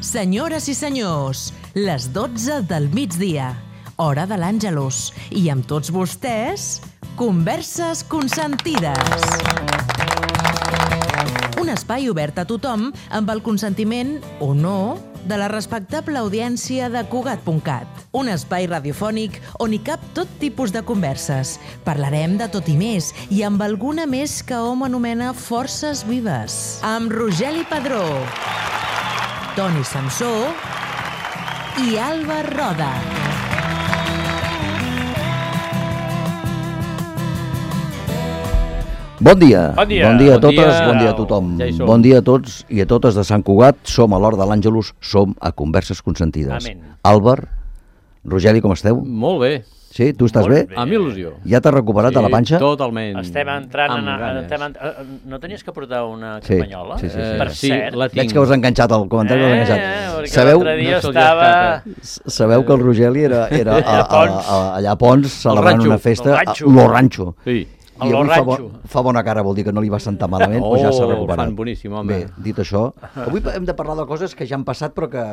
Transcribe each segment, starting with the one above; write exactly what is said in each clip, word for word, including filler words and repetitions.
Senyores i senyors, les dotze del migdia, hora de l'Àngelus, i amb tots vostès, Converses Consentides. Un espai obert a tothom amb el consentiment, o no, de la respectable audiència de Cugat punt cat. Un espai radiofònic on hi cap tot tipus de converses. Parlarem de tot i més, i amb alguna més que hom anomena forces vives. Amb Rogeli Padró, Toni Samsó i Alba Roda. Bon dia. Bon dia. Bon dia a Bon totes, dia. bon dia a tothom. Ja hi som. Bon dia a tots i a totes de Sant Cugat. Som a l'Hora de l'Àngelus, som a Converses Consentides. Amén. Àlvar, Rogeli, com esteu? Molt bé, Sí, tu estàs Molt bé? bé. amb il·lusió. Ja t'has recuperat de la panxa? Totalment. Estem entrant... Amb En, ganes. estem en, eh, no tenies que portar una Sí, campanyola? sí, sí, sí. Eh, Per sí, cert. la tinc. Veig que us ha enganxat el comentari, us ha Eh, enganxat. perquè Sabeu, l'altre dia No se'l estava... sabeu que el Rogeli era, era a, a, a, allà a Pons celebrant ranxo, una festa, el a ranxo. lo ranxo. Sí. I El avui fa, bo, ranxo. fa bona cara, vol dir que no li va sentar malament, Oh, o ja s'ha el recuperat. fan boníssim, home. Bé, dit això, avui hem de parlar de coses que ja han passat però que,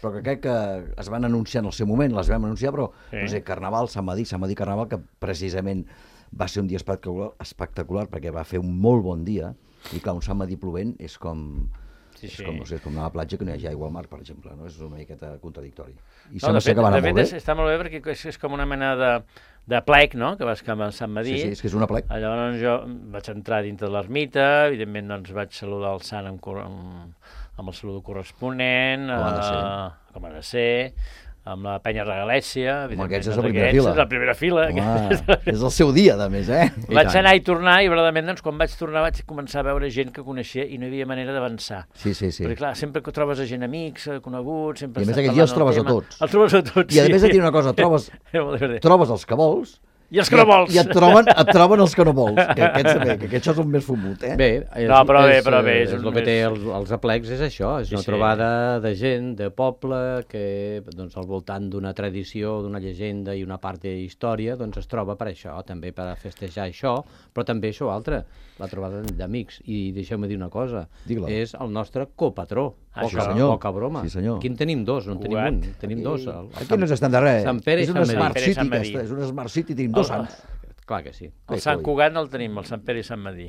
però que crec que es van anunciar en el seu moment, les vam anunciar, però Sí. no sé, Carnaval, Sant Madí, Sant Madí Carnaval, que precisament va ser un dia espectacular, espectacular perquè va fer un molt bon dia, i clar, un Sant Madí plovent és com... Sí, És sí. com, no sé, és com anar a la platja que no hi hagi aigua al mar, per exemple, no? És una miqueta contradictori. I No, sembla de ser fet, que va de anar fet molt és, bé. està molt bé perquè és, és com una mena de, de plec, no?, que vas cap a Sant Madí. Sí, sí, és que és una plec. Llavors jo vaig entrar dintre de l'ermita, evidentment doncs vaig saludar el sant amb, cor- amb, amb el saludo corresponent, Com ha de ser. eh, com ha de ser, amb la penya regalèssia, Home, evidentment. aquests és doncs la primera aquests fila. És la primera fila. Home, és el seu dia, a més, eh? I Vaig tant. anar i tornar i, verdaderament, doncs, quan vaig tornar vaig començar a veure gent que coneixia i no hi havia manera d'avançar. Sí, sí, sí. Perquè, clar, sempre que trobes a gent amics, eh, coneguts, sempre I a més estàs aquell dia els parlant trobes del a tema. tots. Els trobes a tots, I a sí. més et diré una cosa, trobes, Era molt divertit. trobes els que vols I els que no vols. i et troben, et troben els que no vols, que aquests també, que aquests són més fumut, eh? Bé, és, No, però bé, és, però bé, eh, és és un el que més- té els, els aplecs, és això, és Sí, una sí. trobada de gent, de poble, que doncs, al voltant d'una tradició, d'una llegenda i una part d'història, doncs es troba per això, també per a festejar això, però també això altre, la trobada d'amics. I deixeu-me dir una cosa, Digue-la. és el nostre copatró, Ah, poca, sí, senyor. poca broma. Sí, senyor. Aquí en tenim dos, no en tenim Cugat. un, en tenim dos. El, el Aquí no s'estan de res. Sant Pere i és una Sant Smart Madí. City, Sant Madí. aquesta, és una Smart City, tenim dos El- sants. Clar que sí. El Bé, Sant coi. Cugat no el tenim, el Sant Pere i Sant Madí.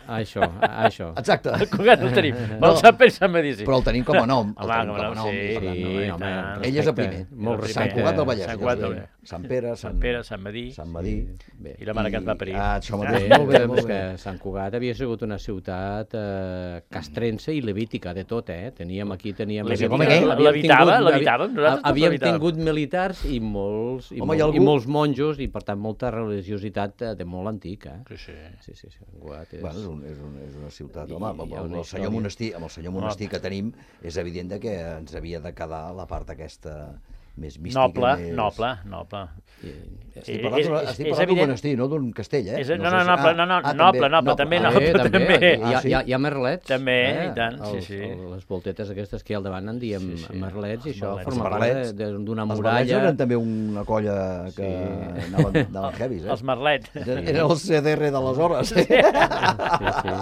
Això, això. Exacte. El Cugat no el tenim, però No. el Sant Pere i Sant Madí sí. Però el tenim com a nom. El Home, tenim com com a a nom, nom. sí. per tant, Sí, no és- home, tant. Ell és el respecte. primer. Molt Sant respecte. Cugat del Vallès. Sant és Cugat el del primer. Vallès. Sant Pere, Sant Pere, Sant Madí Sant Madí. Bé. i la mare que et va parir. Ah, això Bé, mateix. Molt bé, doncs molt bé. que Sant Cugat havia sigut una ciutat eh, castrense i levítica, de tot, eh? Teníem aquí, teníem... Levítica, com aquell? havíem l'habitava, tingut- l'habitàvem, nosaltres tots Havíem l'habitàvem. tingut militars i molts, i, Home, molt, hi ha algú- i molts monjos i, per tant, molta religiositat eh, de molt antic, eh? Sí, sí. Sí, sí, sí. Sant Cugat és... Bueno, és, un, és, un, és una ciutat, I home, amb, hi ha amb, una el senyor història. monestir, amb el senyor monestir que tenim, és evident de que ens havia de quedar la part aquesta més mística. Noble, més... noble, noble. Estic Eh, parlant, és- d'una- és- estic és parlant d'un evident- monestir, no d'un castell, eh? És, no, no, sé si- noble, ah, no, no, ah, noble, també, noble, també, Ah, noble, Eh, també, també. Hi ha, Ah, sí? hi, ha, hi ha merlets. També, eh? i tant, sí, Els- sí. el- Les voltetes aquestes que hi ha al davant en diem Sí, sí. merlets, i Els això merlets. forma Els part merlets. de- de- d'una Els merlets muralla. eren també una colla que Sí. anaven, anaven heavies, eh? Els merlets. Eren eren el C D R d'aleshores. Sí, sí.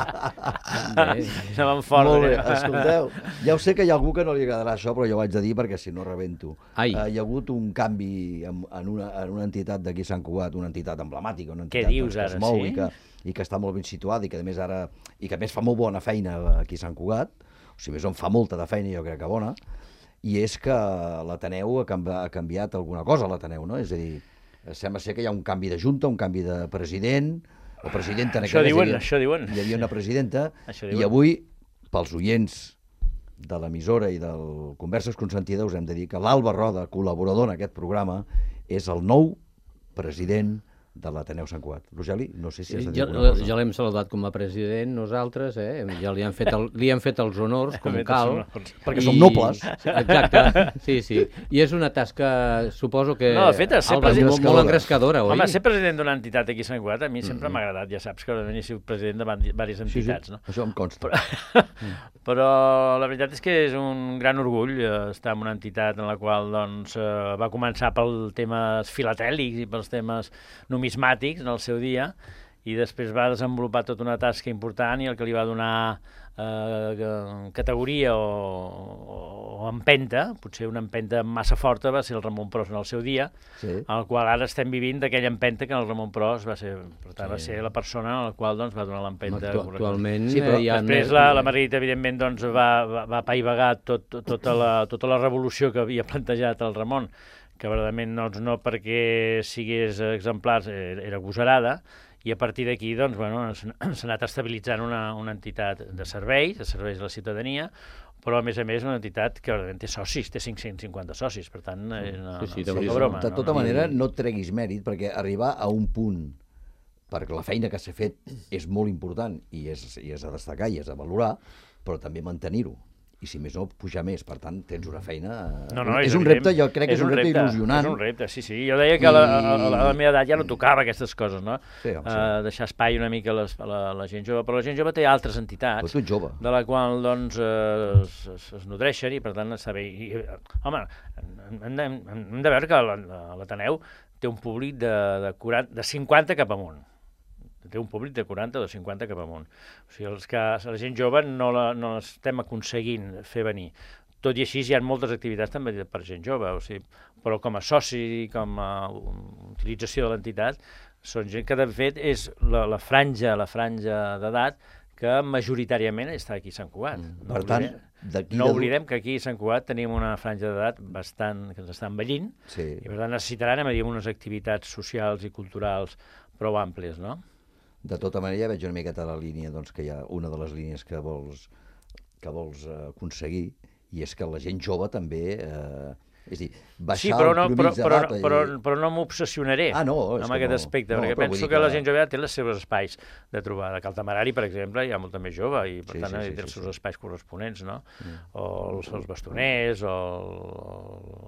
Bé. Anaven fort. Molt bé, eh? escolteu, ja ho sé que hi ha algú que no li agradarà això, però jo ho haig de dir perquè si no rebento. Ai. Uh, hi ha hagut un canvi en, en, una, en una entitat d'aquí a Sant Cugat, una entitat emblemàtica, una Què entitat dius, que es ara, mou sí? i, que, i que està molt ben situada i que a més ara i que a més fa molt bona feina aquí a Sant Cugat, o sigui, més on fa molta de feina, jo crec que bona, i és que l'Ateneu ha, canvi, ha canviat alguna cosa, l'Ateneu, no? És a dir, sembla ser que hi ha un canvi de junta, un canvi de president, o presidenta en Això aquest cas, diuen, hi havia- això diuen. Hi havia una presidenta, Això i diuen. avui, pels oients de l'emissora i del Converses Consentides, us hem de dir que l'Alba Roda, col·laborador en aquest programa, és el nou president de l'Ateneu Sant Cugat. Rogeli, no sé si has de dir Ja, alguna cosa. ja l'hem saludat com a president nosaltres, eh? Ja li han fet, el, li han fet els honors, com Fet els cal. honors. Perquè som nobles. Exacte, sí, sí. I és una tasca, suposo que... No, de fet, ser Alba, president- molt, molt engrescadora, oi? Home, ser president d'una entitat aquí a Sant Cugat a mi sempre m'ha agradat, ja saps que he sigut president de van- diverses Sí, sí, entitats, no? això em consta. Però la veritat és que és un gran orgull eh, estar en una entitat en la qual doncs, eh, va començar pel temes filatèlics i pels temes numismàtics en el seu dia i després va desenvolupar tota una tasca important i el que li va donar eh, categoria o, o empenta, potser una empenta massa forta, va ser el Ramon Pros en el seu dia, sí. el qual ara estem vivint d'aquella empenta que el Ramon Pros va ser, per tant, sí. va ser la persona a la qual doncs, va donar l'empenta. Actu actualment sí, però hi ha... Després la, la Margarita, evidentment, doncs, va, va, va apaivagar tot, tota, la, tota la revolució que havia plantejat el Ramon, que verdament doncs, no perquè sigués exemplar, era agosarada, i a partir d'aquí doncs, bueno, s'ha anat estabilitzant una, una entitat de serveis, de serveis a la ciutadania, però a més a més una entitat que té socis, té cinc-cents cinquanta socis, per tant, no, sí, sí, no, no, no, broma. De tota no, manera, no et treguis mèrit, perquè arribar a un punt, perquè la feina que s'ha fet és molt important i és, i és a destacar i és a valorar, però també mantenir-ho. I si més no, pujar més. Per tant, tens una feina... No, no, és, és un evident. repte, jo crec que és, és un repte, repte il·lusionant. És un repte, sí, sí. Jo deia que I... a, la, a, la, a la meva edat ja no tocava aquestes coses, no? Sí, home, sí. Uh, deixar espai una mica a, les, a, la, a la gent jove. Però la gent jove té altres entitats. Però tu ets jove. De la qual, doncs, uh, es, es, es nodreixen i, per tant, està bé. I, home, hem de, hem de veure que l'Ateneu té un públic de, de, quaranta, de cinquanta cap amunt. Té un públic de quaranta o de cinquanta cap amunt. O sigui, els que, la gent jove no l'estem aconseguint fer venir. Tot i així hi ha moltes activitats també per gent jove, o sigui, però com a soci, com a utilització de l'entitat, són gent que de fet és la, la franja, la franja d'edat que majoritàriament està aquí a Sant Cugat. Mm. No per tant, oblidem, no oblidem que aquí a Sant Cugat tenim una franja d'edat bastant que ens està envellint, sí. I per tant necessitaran dir, unes activitats socials i culturals prou àmplies, no? De tota manera, veig una miqueta la línia, doncs, que hi ha una de les línies que vols, que vols uh, aconseguir, i és que la gent jove també... Eh, és a dir, baixar sí, però no, el però, però, i... però, però no m'obsessionaré ah, no, amb aquest no, aspecte, no, perquè penso que, que la gent jove té els seus espais de trobar. De Caltamarari, per exemple, hi ha molta més jove i, per sí, tant, sí, sí, té els seus sí, espais corresponents, no? Mm. O els, els bastoners, o el,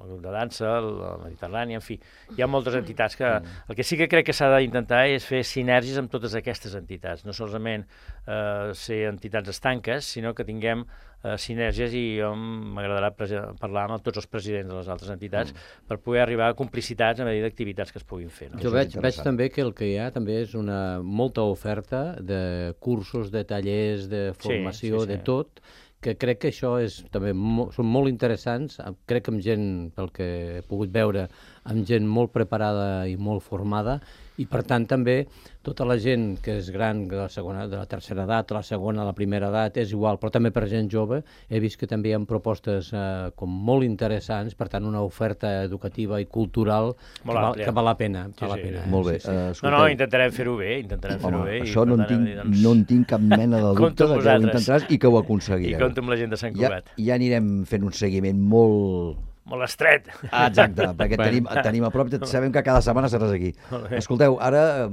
el grup de dansa, la Mediterrània, en fi. Hi ha moltes entitats que... Mm. El que sí que crec que s'ha d'intentar és fer sinergies amb totes aquestes entitats, no solament eh, ser entitats estanques, sinó que tinguem eh, sinergies, i jo m'agradarà parlar amb tots els presidents de les altres entitats mm. per poder arribar a complicitats a mesura d'activitats que es puguin fer. No? Jo veig, veig també que el que hi ha també és una molta oferta de cursos, de tallers, de formació, sí, sí, sí. de tot, que crec que això és, també mo, són molt interessants, crec que amb gent, pel que he pogut veure, amb gent molt preparada i molt formada, i per tant també tota la gent que és gran, de la, segona, de la tercera edat, la segona, la primera edat, és igual, però també per gent jove, he vist que també hi ha propostes eh, com molt interessants, per tant una oferta educativa i cultural que val, que val la pena. Sí, val sí. la pena eh? Molt bé. Sí, sí. Uh, no, no, intentarem fer-ho bé, intentarem fer-ho bé. Això i, no, en tinc, tant, doncs... no en tinc cap mena de dubte de que ho intentaràs i que ho aconseguireu. I compto amb la gent de Sant Cugat. Ja, ja anirem fent un seguiment molt... Molt estret. Ah, exacte, perquè tenim, tenim a prop, sabem que cada setmana seràs aquí. Escolteu, ara,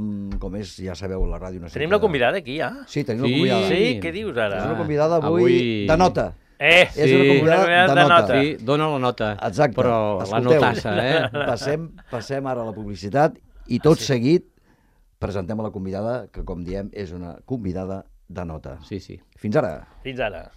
com és, ja sabeu, la ràdio... Necessita... Tenim la convidada aquí, ja? Sí, tenim sí, la convidada. Sí, què dius ara? És una convidada avui, avui... de nota. Eh, és sí, una convidada una de, de nota. nota. Sí, dona la nota, exacte. Però escolteu, la notassa, eh? Passem, passem ara a la publicitat i tot sí. seguit presentem a la convidada, que com diem és una convidada de nota. Sí, sí. Fins ara. Fins ara.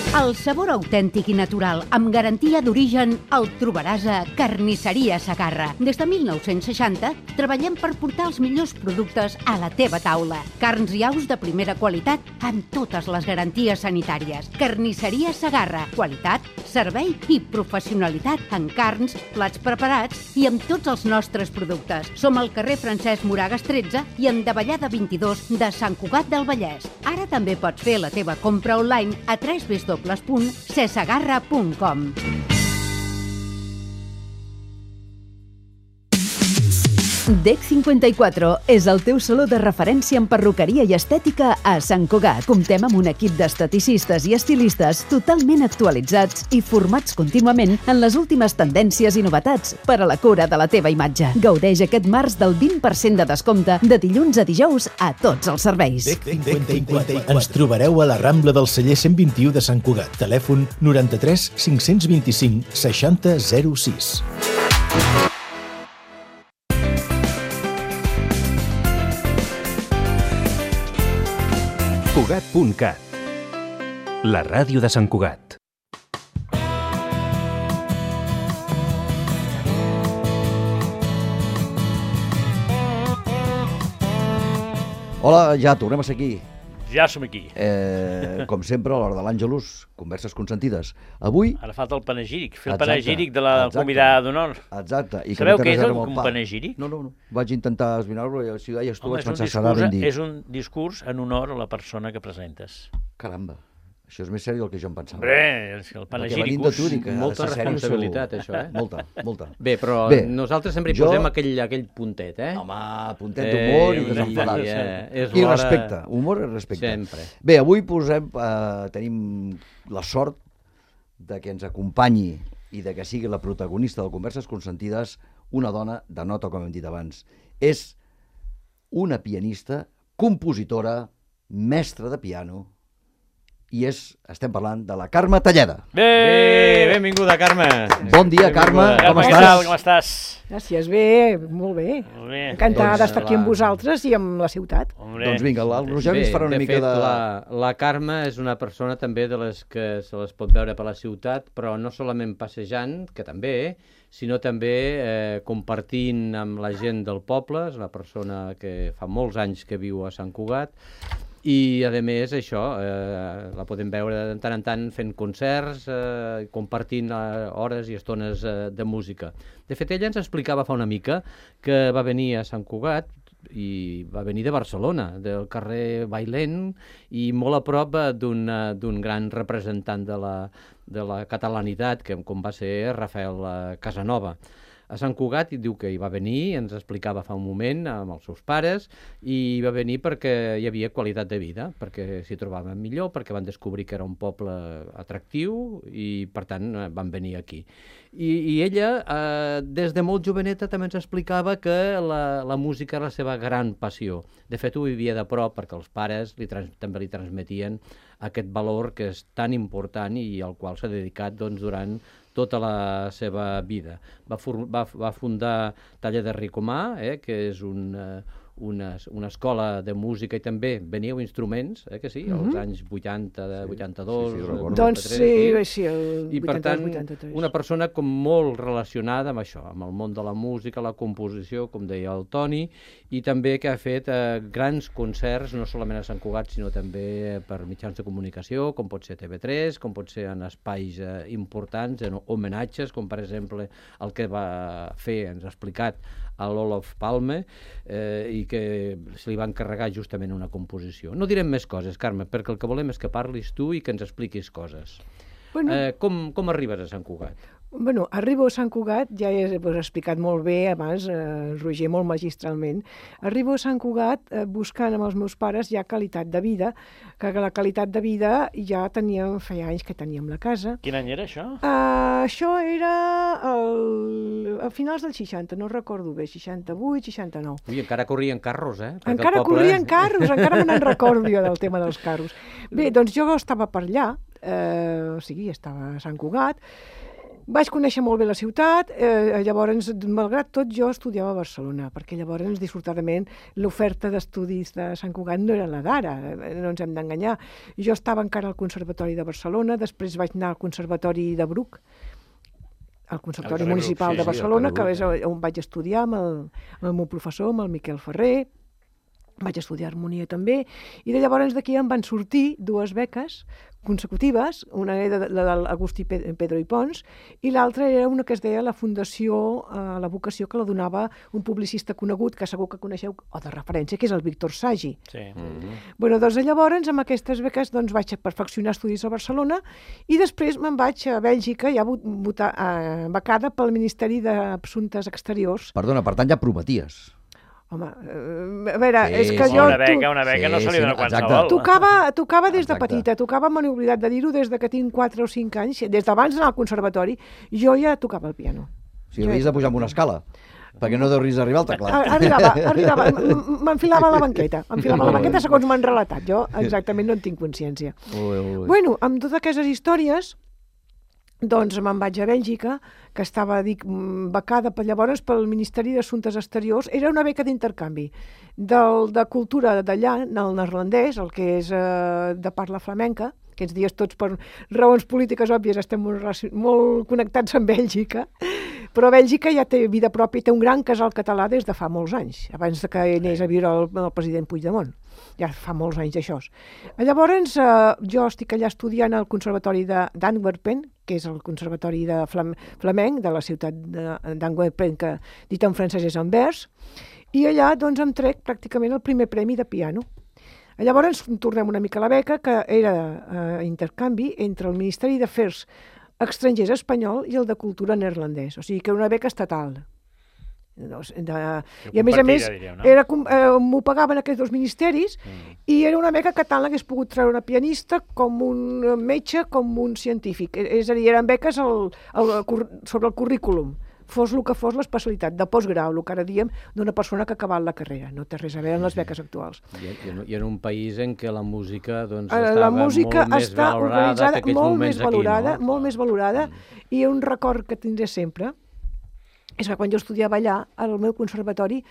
El sabor autèntic i natural, amb garantia d'origen, el trobaràs a Carnisseria Segarra. Des de mil nou-cents seixanta treballem per portar els millors productes a la teva taula. Carns i aus de primera qualitat amb totes les garanties sanitàries. Carnisseria Segarra. Qualitat, servei i professionalitat en carns, plats preparats i amb tots els nostres productes. Som al carrer Francesc Moragas tretze i en Davallada vint-i-dos de Sant Cugat del Vallès. Ara també pots fer la teva compra online a w w w punt cesegarra punt com. D E C cinquanta-quatre és el teu saló de referència en perruqueria i estètica a Sant Cugat. Comptem amb un equip d'esteticistes i estilistes totalment actualitzats i formats contínuament en les últimes tendències i novetats per a la cura de la teva imatge. Gaudeix aquest març del vint per cent de descompte de dilluns a dijous a tots els serveis. D E C cinquanta-quatre. Ens trobareu a la Rambla del Celler cent vint-i-u de Sant Cugat. Telèfon noranta-tres cinc-cents vint-i-cinc seixanta zero sis. Cugat punt cat, la ràdio de Sant Cugat. Hola, ja tornem a ser aquí. Ja som aquí. Eh, com sempre, a l'hora de l'Àngelus, converses consentides. Avui... Ara falta el panegíric, fer el Exacte, panegíric de la exacte. convidada d'honor. Exacte. I Sabeu no té què és res a el- veure amb un pa. panegíric? No, no, no. Vaig intentar esbrinar-lo i si ho deies tu Home, vaig és un, pensar, serà discurs, ben dit. és un discurs en honor a la persona que presentes. Caramba, això és més seri del que jo em pensava. Hombre, és que el Perquè venint de panegíricus... tu dic que ha de Molta ser sèrio, responsabilitat, segur. això, eh? Molta, molta. Bé, però Bé, nosaltres sempre hi jo- posem aquell, aquell puntet, eh? Home, puntet d'humor Eh, i desenfadat. i, eh, és I l'hora- respecte, humor i respecte. Sempre. Bé, avui posem, eh, tenim la sort de que ens acompanyi i de que sigui la protagonista de Converses Consentides una dona de nota, com hem dit abans. És una pianista, compositora, mestra de piano, i és, estem parlant de la Carme Talleda. Bé! Bé, benvinguda, Carme. Bon dia, Carme, Benvinguda. com Carme, què estàs? tal? Com estàs? Gràcies, bé, molt bé. Molt bé. Encantada Doncs, d'estar aquí amb la- vosaltres i amb la ciutat. Hombre. Doncs vinga, el Roger Bé, ens farà una de mica fet, de... La, la Carme és una persona també de les que se les pot veure per la ciutat, però no solament passejant, que també, sinó també eh, compartint amb la gent del poble. És una persona que fa molts anys que viu a Sant Cugat, i a més això, eh, la podem veure de tant en tant fent concerts, eh, compartint eh, hores i estones eh, de música. De fet, ella ens explicava fa una mica que va venir a Sant Cugat i va venir de Barcelona, del carrer Bailén, i molt a prop eh, d'un eh, d'un gran representant de la, de la catalanitat, que, com va ser Rafael eh, Casanova. A Sant Cugat, i diu que hi va venir, ens explicava fa un moment amb els seus pares, i hi va venir perquè hi havia qualitat de vida, perquè s'hi trobaven millor, perquè van descobrir que era un poble atractiu i, per tant, eh, van venir aquí. I, i ella, eh, des de molt joveneta, també ens explicava que la, la música era la seva gran passió. De fet, ho vivia de prop perquè els pares li trans, també li transmetien aquest valor que és tan important i al qual s'ha dedicat doncs, durant tota la seva vida. Va, for, va, va fundar Taller de Ricomà, eh, que és un, eh, una, una escola de música, i també veníeu instruments, eh, que sí, als Mhm. anys vuitanta, vuitanta-dos, sí, sí, recordo. Doncs vuitanta-tres, sí, sí, el I per tant, vuitanta-dos, vuitanta-tres. una persona com molt relacionada amb això, amb el món de la música, la composició, com deia el Toni, i també que ha fet eh, grans concerts, no solament a Sant Cugat, sinó també per mitjans de comunicació, com pot ser T V tres, com pot ser en espais eh, importants, en homenatges, com per exemple el que va fer, ens ha explicat, a l'Olof Palme, eh, i que se li va encarregar justament una composició. No direm més coses, Carme, perquè el que volem és que parlis tu i que ens expliquis coses. Bueno, Eh, com, com arribes a Sant Cugat? bueno, arribo a Sant Cugat, ja he pues, explicat molt bé abans, eh, Roger, molt magistralment. Arribo a Sant Cugat eh, buscant amb els meus pares ja qualitat de vida, que la qualitat de vida ja teníem, feia anys que teníem la casa. Quin any era això? Uh, això era el, a finals del seixanta, no recordo bé, seixanta-vuit, seixanta-nou. Ui, encara corrien carros, eh? Perquè el Encara poble- corrien carros, encara me n'en recordo jo del tema dels carros. Bé, doncs jo estava per allà, eh, o sigui, estava a Sant Cugat, vaig conèixer molt bé la ciutat, eh, llavors, malgrat tot, jo estudiava a Barcelona, perquè llavors, dissortadament, l'oferta d'estudis de Sant Cugat no era la d'ara, eh, no ens hem d'enganyar. Jo estava encara al Conservatori de Barcelona, després vaig anar al Conservatori de Bruc, al Conservatori Al Bruc, Municipal sí, de sí, Barcelona, al que Bruc, és on vaig estudiar amb el, amb el meu professor, amb el Miquel Ferrer, vaig estudiar harmonia també, i de llavors d'aquí em van sortir dues beques consecutives, una era de, la de l'Agustí Pedro i Pons, i l'altra era una que es deia la Fundació, eh, la vocació, que la donava un publicista conegut, que segur que coneixeu, o de referència, que és el Víctor Sagi. Sí. Mm. Bueno, doncs llavors, amb aquestes beques, doncs, vaig perfeccionar estudis a Barcelona i després me'n vaig a Bèlgica, ja votar, eh, becada pel Ministeri d'Assumptes Exteriors. Perdona, per tant ja prometies. Home, eh, a veure, Sí, és que sí. jo... Una beca, una beca Sí, no se li sí, dona no, qualsevol. exacte. Tocava, tocava des de Exacte. petita, tocava, me n'he oblidat de dir-ho, des de que tinc quatre o cinc anys, des d'abans d'anar al conservatori, jo ja tocava el piano. O sigui, havies de pujar amb una escala, perquè no deuries arribar al teclat. A- Arribava, arribava, m- m- m'enfilava a la banqueta, m'enfilava a la banqueta segons m'han relatat, jo exactament no en tinc consciència. Ui, ui. Bueno, amb totes aquestes històries, doncs me'n vaig a Bèlgica, que estava, dic, becada per llavors pel Ministeri d'Assumptes Exteriors. Era una beca d'intercanvi del, de cultura d'allà, el neerlandès, el que és eh, de parla flamenca. Aquests dies tots, per raons polítiques òbvies, estem molt, relacion- molt connectats amb Bèlgica, però Bèlgica ja té vida pròpia, té un gran casal català des de fa molts anys, abans de que anés a viure el, el president Puigdemont. ja fa molts anys d'això. Llavors, eh, jo estic allà estudiant al Conservatori d'Antwerpen, que és el Conservatori de Flam Flamenc de la ciutat d'Antwerpen, que dit en francès és Anvers, i allà doncs em trec pràcticament el primer premi de piano. Llavors tornem una mica a la beca, que era eh, intercanvi entre el Ministeri d'Afers Estrangers espanyol i el de Cultura neerlandès, o sigui que era una beca estatal. De, de, I a més a més, diríem, no? era, eh, m'ho pagaven aquests dos ministeris mm. i era una beca que tant l'hagués pogut treure una pianista com un metge, com un científic. És a dir, eren beques el, el, sobre el currículum, fos el que fos l'especialitat de postgrau, el que ara diem d'una persona que ha acabat la carrera. No té res a veure amb les beques actuals. I, i en un país en què la música doncs, la estava música molt més està valorada que aquells molt moments més valorada, aquí, no? molt més valorada, mm. i un record que tindré sempre és que quan jo estudiava allà, al meu conservatori,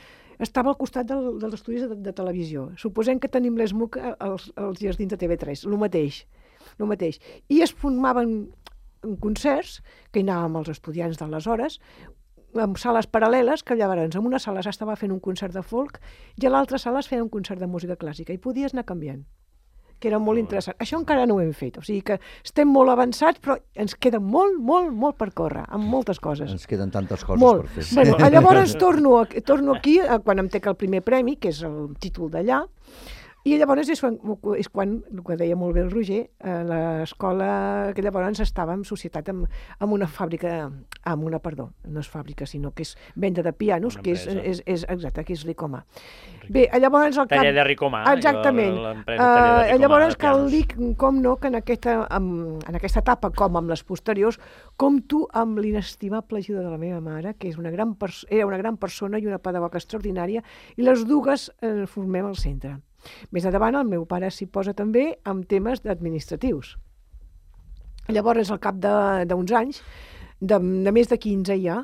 estava al costat del, dels estudis de, de televisió. Suposem que tenim l'ESMUC als, als jardins de T V tres, el mateix, el mateix. I es formaven concerts, que hi anàvem els estudiants d'aleshores, amb sales paral·leles, que llavors en una sala s'estava fent un concert de folk i a l'altra sala es feia un concert de música clàssica i podies anar canviant, que era molt interessant. Això encara no ho hem fet, o sigui que estem molt avançats, però ens queda molt, molt, molt per córrer, amb moltes coses. Ens queden tantes coses molt. per fer. Bueno, llavors torno, torno aquí, quan em trec el primer premi, que és el títol d'allà, i llavors és quan, és quan, el que deia molt bé el Roger, a l'escola, que llavors estava en societat amb, amb una fàbrica, amb una, perdó, no és fàbrica, sinó que és venda de pianos, que és, és, és, exacte, que és Ricomà. Bé, llavors el cap... Taller de Ricomà. Exactament. Uh, llavors cal dir, com no, que en aquesta, en, en aquesta etapa, com amb les posteriors, compto amb l'inestimable ajuda de la meva mare, que és una gran era una gran persona i una pedagoga extraordinària, i les dues eh, formem el centre. Més endavant, el meu pare s'hi posa també amb temes administratius. Llavors, al cap d'uns anys, de, de més de quinze ja,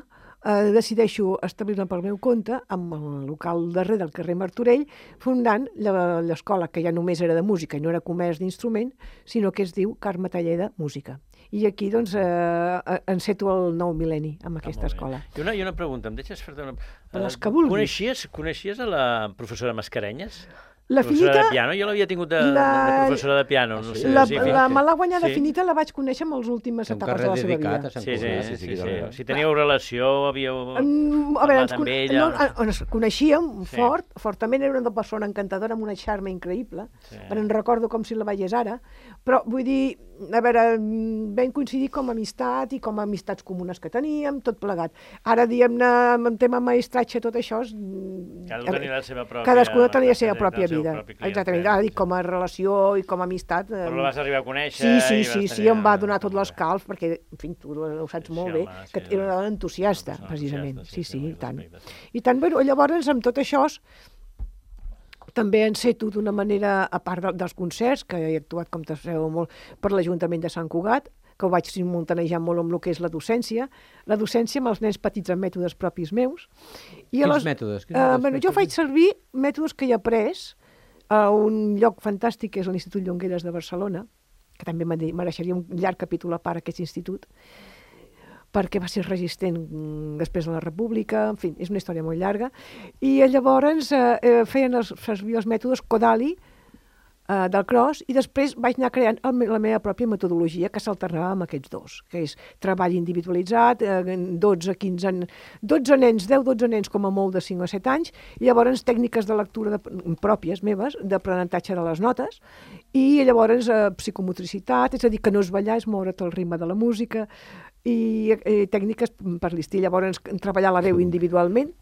eh, decideixo establir-me pel meu compte amb el local darrere del carrer Martorell, fundant l'escola, que ja només era de música i no era comerç d'instrument, sinó que es diu Carme Talleda Música. I aquí, doncs, eh, enceto el nou mil·lenni amb aquesta escola. I una, i una pregunta, em deixes fer-te una... Les que vulguis. Coneixies, coneixies a la professora Mascarenyes? La professora Finita, de piano, jo l'havia tingut de, la, de professora de piano. No sé, la, sí, la malaguanyada sí. Finita la vaig conèixer en les últimes etapes de la seva vida. Sí, sí, sí, sí, sí, sí. Si teníeu relació, havíeu um, a veure, ens, amb ella... No, ens coneixíem sí. fort, fortament, era una persona encantadora amb una charme increïble, sí. però en recordo com si la veiés ara, però vull dir, a veure, vam coincidir com a amistat i com a amistats comunes que teníem, tot plegat. Ara, diguem-ne, en tema maestratge, tot això... Cadascú tenia la seva pròpia... Cadascú tenia la seva pròpia vida. Exactament. Ara dic, com a relació i com a amistat... Però la vas arribar a conèixer... Sí, sí, sí, sí, em va donar tot l'escalf, perquè, en fi, tu ho saps molt bé, que era una dona entusiasta, precisament. Sí, sí, i tant. I tant, bueno, llavors, amb tot això, també enceto d'una manera, a part dels concerts, que he actuat, com te sabeu molt, per l'Ajuntament de Sant Cugat, que ho vaig simultanejar molt amb el que és la docència, la docència amb els nens petits amb mètodes propis meus. I Quins les, mètodes? Quins uh, mètodes bueno, jo faig servir mètodes que he après a un lloc fantàstic que és l'Institut Llongueres de Barcelona, que també mereixeria un llarg capítol a part aquest institut, perquè va ser resistent després de la República, en fi, és una història molt llarga, i llavors eh, feien els, servir els mètodes Kodali, Uh, del cross, i després vaig anar creant el, la meva pròpia metodologia que s'alternava amb aquests dos, que és treball individualitzat, eh, dotze, quinze, dotze nens, deu dotze nens com a molt de cinc o set anys, i llavors tècniques de lectura de, pròpies meves, d'aprenentatge de les notes, i llavors eh, psicomotricitat, és a dir, que no és ballar, és moure't al ritme de la música, i eh, tècniques per l'estil, llavors treballar la veu individualment.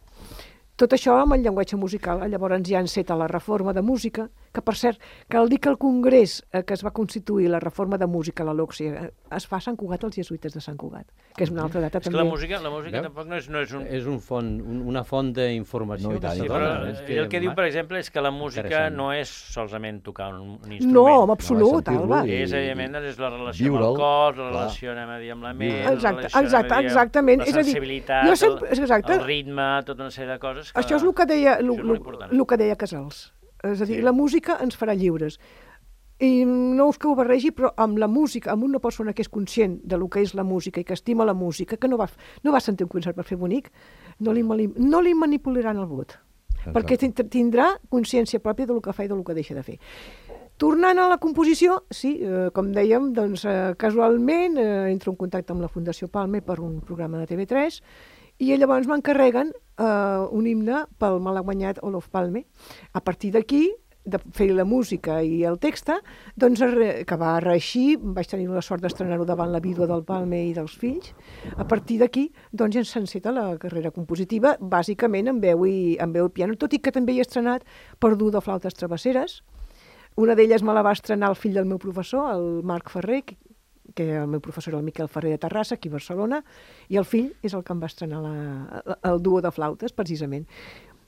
Tot això amb el llenguatge musical. Llavors ja enceta la reforma de música, que per cert, cal dir que el congrés eh, que es va constituir, la reforma de música, la LOCSI, eh, es fa a Sant Cugat, als jesuïtes de Sant Cugat, que és una altra data és també. És que la música, la música tampoc no és, no és un... És un font, un, una font d'informació. No, sí, però és que el que diu, per exemple, és que la música no és solament tocar un, un instrument. No, en absolut, no, Alba. I... És, evidentment, és la relació amb el cos, la relació, anem a dir, amb la ment, exacte, la relació, exacte, exactament. la sensibilitat, és a dir, jo sempre, el, el ritme, tota una sèrie de coses. Que... Això és el que deia, el, el, el que deia Casals. És a dir, sí. La música ens farà lliures. I no us que ho barregi, però amb la música, amb una persona que és conscient de lo que és la música i que estima la música, que no va, no va sentir un concert per fer bonic, no li, no li manipularan el vot. perquè tindrà consciència pròpia del que fa i del que deixa de fer. Tornant a la composició, sí, eh, com dèiem, doncs, eh, casualment eh, entro en contacte amb la Fundació Palme per un programa de T V tres i llavors m'encarreguen eh, un himne pel malaguanyat Olof Palme. A partir d'aquí, de fer la música i el text, doncs, que va reeixir, vaig tenir la sort d'estrenar-ho davant la vídua del Palme i dels fills. A partir d'aquí, doncs, ja s'enceta la carrera compositiva, bàsicament en veu i, en veu i piano, tot i que també he estrenat per dur de flautes travesseres. Una d'elles me la va estrenar el fill del meu professor, el Marc Ferrer, que, que el meu professor era el Miquel Ferrer de Terrassa, aquí a Barcelona, i el fill és el que em va estrenar la, el duo de flautes, precisament.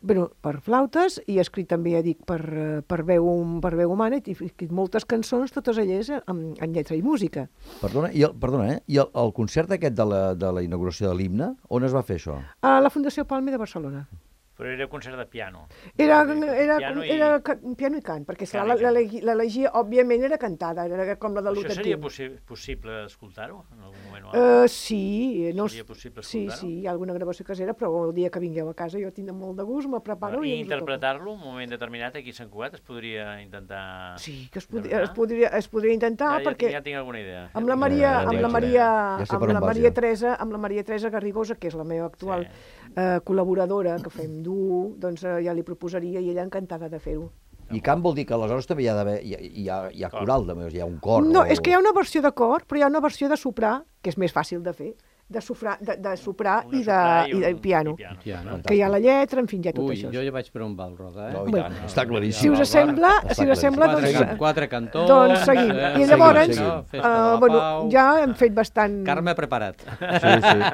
Bueno, per flautes, i he escrit també, ja dic, per, per, veu, per veu humana, i he escrit moltes cançons, totes elles en, en lletra i música. Perdona, i el, perdona, eh? I el, el concert aquest de la, de la inauguració de l'himne, on es va fer això? A la Fundació Palme de Barcelona. Però era concert de piano. Era, era, piano, i... era piano i cant, perquè l'elegia, òbviament, era cantada, era com la de l'Uta. Això seria possi possible escoltar-ho en algun moment? Uh, sí, no, seria possible sí, sí, hi ha alguna gravació casera, però el dia que vingueu a casa jo tindré molt de gust, me preparo ah, i, i interpretar-lo en un moment determinat aquí a Sant Cugat es podria intentar... Sí, que es, pod es, podria, es podria intentar, ja, perquè... Ja tinc alguna idea. Amb la Maria, ja, amb ja, la Maria, ja amb la Maria Teresa, amb la Maria Teresa Garrigosa, que és la meva actual sí. eh, col·laboradora, que fem duo, doncs ja li proposaria i ella encantada de fer-ho. I cant vol dir que aleshores també hi ha, hi ha, hi ha, hi ha coral, també, hi ha un cor. No, o... és que hi ha una versió de cor, però hi ha una versió de soprà, que és més fàcil de fer, de, sofrà, de, de soprà i de, i, un, i de piano. I piano. piano. Que hi ha la lletra, en fi, hi ha tot Ui, això. jo ja vaig per on va el Roda, eh? No, i tant, bueno, està claríssim. Si us sembla, si us sembla quatre, doncs... Quatre cantons... Doncs seguim. Eh, I llavors, seguim, seguim. Uh, bueno, ja hem fet bastant... Carme preparat. Sí, sí.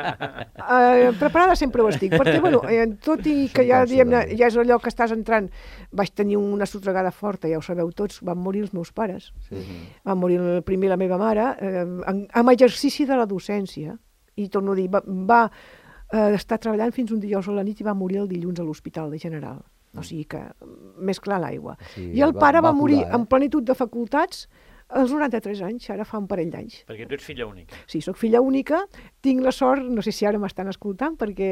Uh, preparada sempre ho estic, perquè, bueno, tot i que ja, diguem-ne, ja és allò que estàs entrant, vaig tenir una sotregada forta, ja ho sabeu tots, van morir els meus pares. Sí. Van morir el primer la meva mare, eh, en, amb exercici de la docència, i torno a dir, va, va eh, estar treballant fins un dijous a la nit i va morir el dilluns a l'Hospital de General. O sigui que, més clar l'aigua. Sí, I el va, pare va, va morir curar, eh? en plenitud de facultats als noranta-tres anys, ara fa un parell d'anys. Perquè tu ets filla única. Sí, sóc filla única, tinc la sort, no sé si ara m'estan escoltant, perquè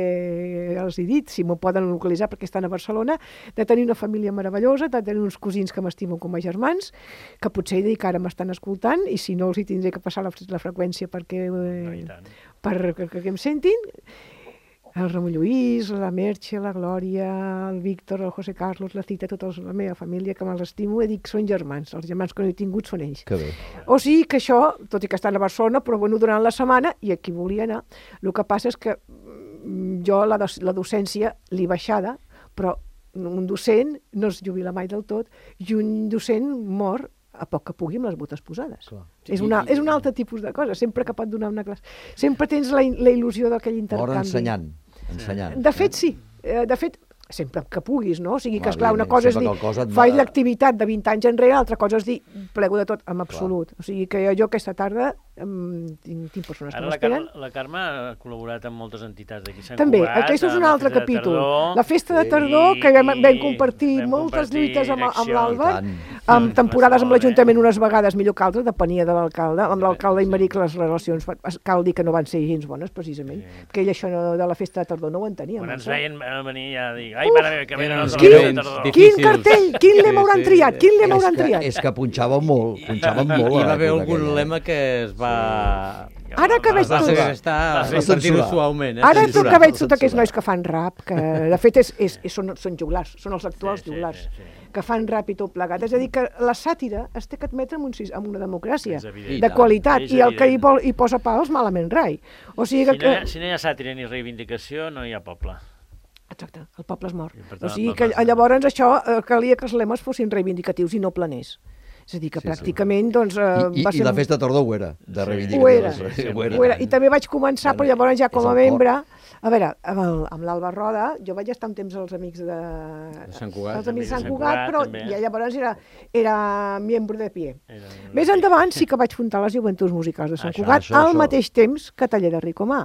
els he dit, si m'ho poden localitzar perquè estan a Barcelona, de tenir una família meravellosa, de tenir uns cosins que m'estimen com a germans, que potser dic que ara m'estan escoltant, i si no els hi tindré que passar la, la freqüència perquè, eh, no, per, que, que em sentin. El Ramon Lluís, la Merche, la Glòria, el Víctor, el José Carlos, la Cita, tota la meva família, que me'ls estimo, i dic, són germans, els germans que no he tingut són ells. Que bé. O sigui que això, tot i que estan a Barcelona, però bueno, durant la setmana, i aquí volia anar, el que passa és que jo la, la docència l'he baixada, però un docent no es jubila mai del tot, i un docent mor a poc que pugui amb les botes posades. És, una, és un altre tipus de cosa, sempre que pot donar una classe. Sempre tens la, la il·lusió d'aquell intercanvi. Mor ensenyant. ensenyant. De fet, sí. De fet, sempre que puguis, no? O sigui que, Clar, esclar, una cosa és dir, faig l'activitat de vint anys enrere, l'altra cosa és dir, plego de tot, en absolut. Clar. O sigui que jo aquesta tarda um, tinc, tinc persones Ara que m'esperen. Ara la Carme ha col·laborat amb moltes entitats d'aquí Sant També, Cugat. aquest és un altre capítol. Tardor, la festa de tardor, sí, que vam, vam compartir vam moltes compartir lluites amb, amb l'Àlvar, amb temporades amb l'Ajuntament unes vegades millor que altres, depenia de l'alcalde. Amb l'alcalde i Maric les relacions, cal dir que no van ser gens bones, precisament, sí. Perquè ell això de la festa de tardor no ho entenia. Quan ens veien venir ja dir, ai, mare meva, que venen els Quin, quin cartell, quin lema hauran triat, quin lema hauran triat? És que punxàvem molt, punxàvem molt. Hi va haver algun lema que es va... Ara que veig tot... Ara que veig tot aquests nois que fan rap, que de fet és, és, és, són, són joglars, són els actuals sí, joglars, sí, sí, sí. Que fan rap i tot plegat. És a dir, que la sàtira es té que admetre en, un, en una democràcia de qualitat, i el que hi, vol, hi posa pals malament rai. O sigui que... Si no, hi ha, si no hi ha sàtira ni reivindicació, no hi ha poble. Exacte, el poble és mort. O sigui que llavors això eh, calia que els lemes fossin reivindicatius i no planers. És a dir, que sí, pràcticament, sí. doncs... Eh, I, va i, ser... I la festa de tardor ho era, de reivindicatiu. Ho era, sí, ho era. Ho era. I també vaig començar, però llavors ja com a membre... A veure, amb, el, amb l'Alba Roda, jo vaig estar un temps als amics de... de Sant Cugat. Els amics de Sant Cugat, però ja llavors era, era membre de pie. Era... Més endavant sí que vaig fundar les Joventuts Musicals de Sant això, Cugat, això, al això. mateix temps que Taller de Ricomà.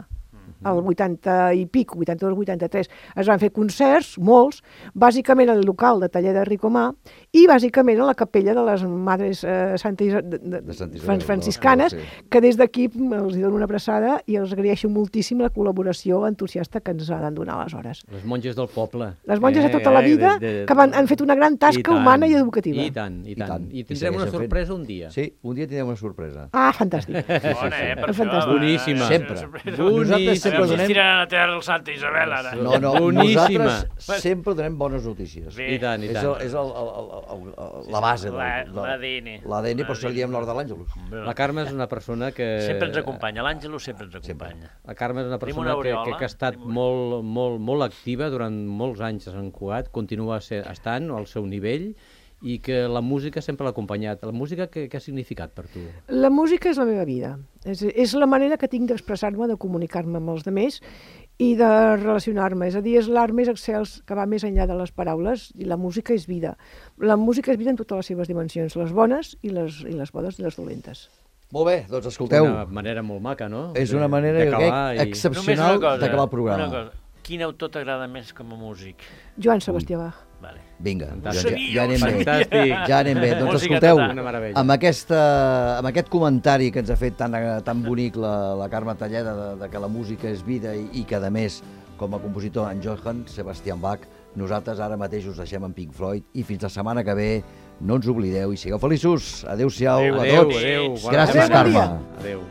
el vuitanta i pic, vuitanta-dos vuitanta-tres, es van fer concerts, molts, bàsicament al local de taller de Ricomà i bàsicament a la capella de les Madres eh, Santa Isa, de, de, de Sant Isabel, Fran franciscanes, no, sí. que des d'aquí els dono una abraçada i els agraeixo moltíssim la col·laboració entusiasta que ens han donat aleshores. Les monges del poble. Les monges de tota la vida de, de, que van, han fet una gran tasca tant, humana i educativa. I tant, i tant. I, tant. I I tindrem una segueixen sorpresa fent. un dia. Sí, un dia tindrem una sorpresa. Ah, fantàstic. Bona, eh, per això. Fantàstic. Boníssima. Sempre. Nosaltres Nosaltres sempre donem... donem... Tiraran a terra el Santa Isabel, ara. No, no, Boníssima. nosaltres sempre donem bones notícies. Bé. I tant, i És, tant. el, és el, el, el, el, la base. La- del- del- l'A D N. L'A D N, per això li diem l'hora de l'Àngelus. La Carme és una persona que... Sempre ens acompanya, l'Àngelo sempre ens acompanya. La Carme és una Tenim persona una que, aureola, que, que ha estat tenim una- molt, molt, molt activa durant molts anys a Sant Cugat, continua ser, estant al seu nivell i que la música sempre l'ha acompanyat. La música què, què ha significat per tu? La música és la meva vida. És, és la manera que tinc d'expressar-me, de comunicar-me amb els altres i de relacionar-me. És a dir, és l'art més excels que va més enllà de les paraules i la música és vida. La música és vida en totes les seves dimensions, les bones i les, i les bones i les dolentes. Molt bé, doncs escolteu. Una manera molt maca, no? És una manera d'acabar i... excepcional d'acabar el programa. Una cosa. Quin autor t'agrada més com a músic? Joan Sebastià Bach. Vale. Vinga, ja, Fantàstic. ja, ja anem bé. Fantàstic. Ja anem bé. Doncs Música escolteu, total. Una meravella. amb, aquesta, amb aquest comentari que ens ha fet tan, tan bonic la, la Carme Talleda, de, de que la música és vida i, i que, a més, com a compositor, en Johann Sebastian Bach, nosaltres ara mateix us deixem en Pink Floyd i fins la setmana que ve no ens oblideu i sigueu feliços. Adéu-siau a Adéu, tots. adéu. Gràcies, setmana. Carme. Adéu.